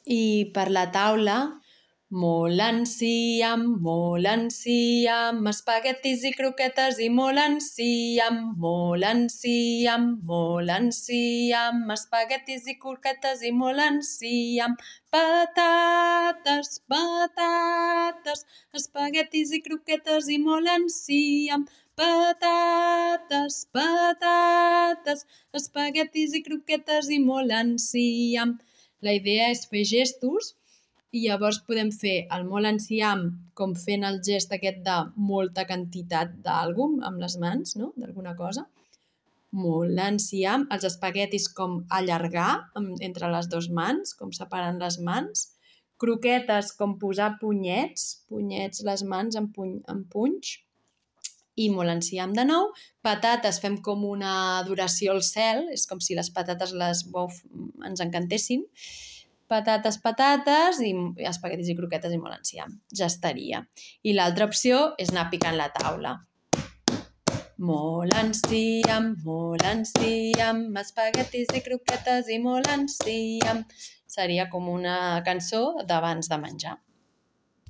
I per la taula, molt enciam, espaguetis i croquetes i molt enciam, espaguetis i croquetes i molt enciam, patates, espaguetis i croquetes i molt enciam, patates, espaguetis i croquetes i molt enciam. La idea és fer gestos i llavors podem fer el molt enciam com fent el gest aquest de molta quantitat d'alguna amb les mans, no? D'alguna cosa. Molt enciam. Els espaguetis com allargar entre les dues mans, com separant les mans. Croquetes com posar punyets les mans en punys. I molt enciam de nou. Patates fem com una adoració al cel, és com si les patates ens encantessin. Patates i espaguetis i croquetes i molt enciam. Ja estaria. I l'altra opció és anar picant la taula. Molt enciam, espaguetis i croquetes i molt enciam. Seria com una cançó d'abans de menjar.